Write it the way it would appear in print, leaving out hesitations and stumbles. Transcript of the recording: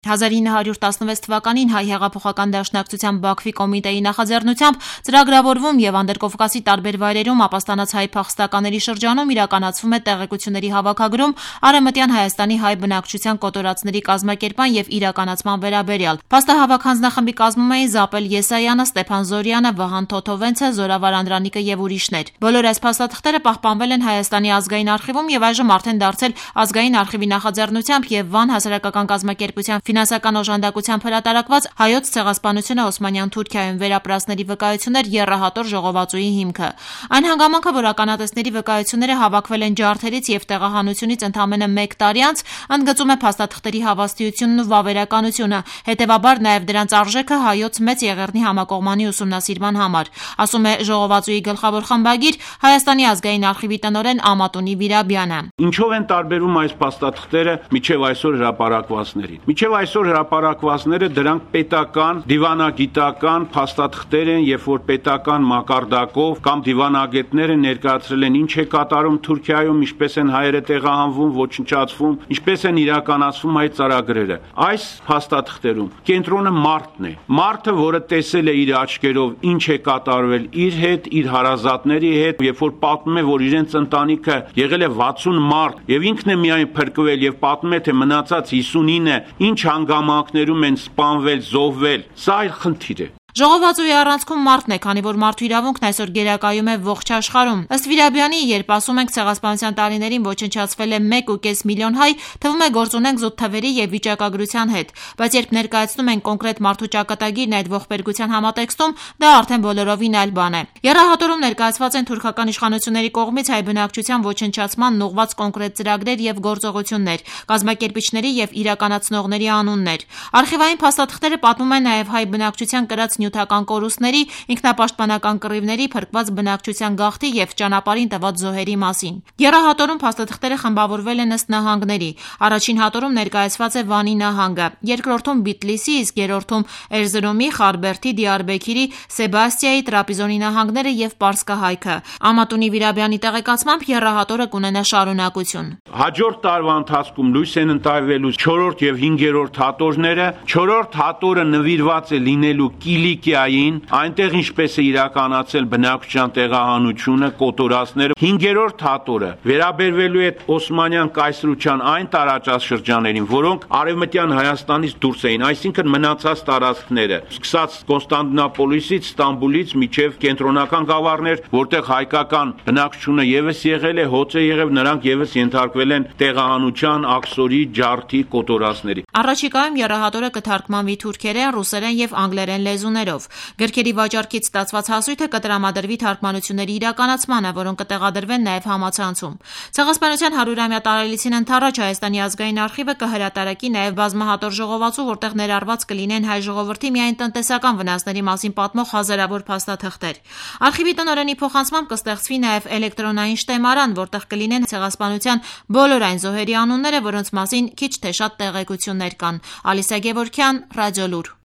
1916 թվականին Հայ հեղափոխական դաշնակցության Բաքվի կոմիտեի նախաձեռնությամբ ծրագրավորվում եւ Անդրկովկասի տարբեր վայրերում ապաստանած հայ փախստականների շրջանում իրականացվում է տեղեկությունների հավաքագրում Արևմտյան Հայաստանի հայ բնակչության կոտորածների կազմակերպման եւ իրականացման վերաբերյալ։ Փաստահավաք հանձնախմբի կազմում էին Զապել Եսայանը, Ստեփան Զորյանը, Վահան Թոթովենցը, Զորավար Անդրանիկը եւ ուրիշներ։ Բոլոր այս փաստաթղթերը պահպանվել են Հայաստանի ազգային արխիվում եւ այժմ արդեն դարձել ազգային արխիվի նախաձեռնությամբ եւ Վան հասարակական կազմակերպության ֆինանսական օժանդակությամբ հրատարակված Հայոց ցեղասպանությունը Օսմանյան Թուրքիայում վերապրածների վկայություններ եռահատոր ժողովածուի հիմքը։ Այն հանգամանքը, որ ականատեսների վկայությունները հավաքվել են ջարդերից եւ տեղահանությունից ընդամենը 1 տարի անց, ընդգծում է փաստաթղթերի հավաստիությունն ու վավերականությունը, հետեւաբար նաեւ դրանց արժեքը Հայոց մեծ եղեռնի համակողմանի ուսումնասիրման համար, ասում է ժողովածուի գլխավոր խմբագիր Հայաստանի ազգային արխիվի տնօրեն Ամատունի Վիրաբյանը։ Ինչով են տարբերում այս փաստաթղթերը միջև այսօր հրապարակվածներին։ Միջև այսօր հրապարակվածները դրանք պետական, դիվանագիտական փաստաթղթեր են, երբ որ պետական մակարդակով կամ դիվանագետները ներկայացրել են ինչ է կատարում Թուրքիայում, ինչպես են հայերը տեղահանվում, ոչնչացվում, ինչպես են իրականացվում այդ ծրագրերը։ Այս փաստաթղթերում կենտրոնը մարդն է։ Մարդը, որը տեսել է իր աչքերով ինչ է կատարվել իր հետ, իր հարազատների հետ, երբ որ պատմում է, որ իրենց ընտանիքը եղել է 60 մարդ եւ ինքն է միայն փրկվել եւ պատմում է, թե մնացած 59-ը ինչ հանգամանքներում են սպանվել, զոհվել, սա այլ խնդիր է։ Ժողովածուի առանցքում մարդն է, քանի որ մարդու իրավունքն այսօր գերակայում է ողջ աշխարհում։ Ըստ Վիրաբյանի, երբ ասում ենք ցեղասպանության տարիներին ոչնչացվել է 1.5 միլիոն հայ, թվում է գործ ունենք զուտ թվերի եւ վիճակագրության հետ, բայց երբ ներկայացնում են կոնկրետ մարդու ճակատագիրն այդ ողբերգության համատեքստում, դա արդեն բոլորովին այլ բան է։ Եռահատորում ներկայացված են թուրքական իշխանությունների կողմից հայ բնակչության ոչնչացման ուղղված կոնկրետ ծրագրեր եւ գործողություններ, կազմակերպիչների եւ իրականացնողների անուններ։ Արխիվային փաստաթղթերը պատմում են նաեւ հայ բնակչության կրած նյութական կորուստների, ինքնապաշտպանական կռիվների, փրկված բնակչության գաղթի եւ ճանապարհին տված զոհերի մասին։ Եռահատորում փաստաթղթերը խմբավորվել են ըստ նահանգների։ Առաջին հատորում ներկայացված է Վանի նահանգը, երկրորդում Բիտլիսի, իսկ երրորդում Էրզրումի, Խարբերդի, Դիարբեքիրի, Սեբաստիայի, Տրապիզոնի նահանգները եւ Պարսկահայքը։ Ամատունի Վիրաբյանի տեղեկացմամբ եռահատորը կունենա շարունակություն։ Հաջորդ տարվա ընթացքում լույս են ընտարվելու 4-րդ եւ 5-րդ հատորները։ 4-րդ հատորը նվիրված է լինելու Կիլիկիային, այնտեղ ինչպես է իրականացել բնակչության տեղահանությունը, կոտորածները։ 5-րդ հատորը վերաբերվելու է Օսմանյան կայսրության այն տարածաշրջաներին, որոնք արևմտյան Հայաստանից դուրս էին, այսինքն մնացած տարածքները, սկսած Կոնստանդնուպոլիսից, Ստամբուլից մինչև կենտրոնական գավառներ, որտեղ հայկական բնակչությունը եւս եղել է, հոծ է եղել, նրանք եւս ենթարկվել են տեղահանության, աքսորի, ջարդի, կոտորածների։ Առաջիկայում եռահատորը կթարգմանվի թուրքերեն, ռուսերեն եւ անգլերեն լեզուներով։ Գրքերի վաճառքից ստացված հասույթը կտրամադրվի թարգմանությունների իրականացմանը, որոնք կտեղադրվեն նաեւ համացանցում։ Ցեղասպանության 100-ամյա տարելիցին ընթառաջ Հայաստանի ազգային արխիվը կհրատարակի նաեւ բազմահատոր ժողովածու, որտեղ ներառված կլինեն հայ ժողովրդի միայն տնտեսական վնասների մասին պատմող հազարավոր փաստաթղթեր։ Արխիվի տնօրենի փոխանցմամբ կստեղծվի նաեւ էլեկտրոնային շտեմարան, որտեղ կլինեն ցեղասպանության բոլոր այն զոհերի անունները, որոնց մասին քիչ թե շատ տեղեկություններ կան։ Ալիսա Գևորգյան, Ռադիոլուր։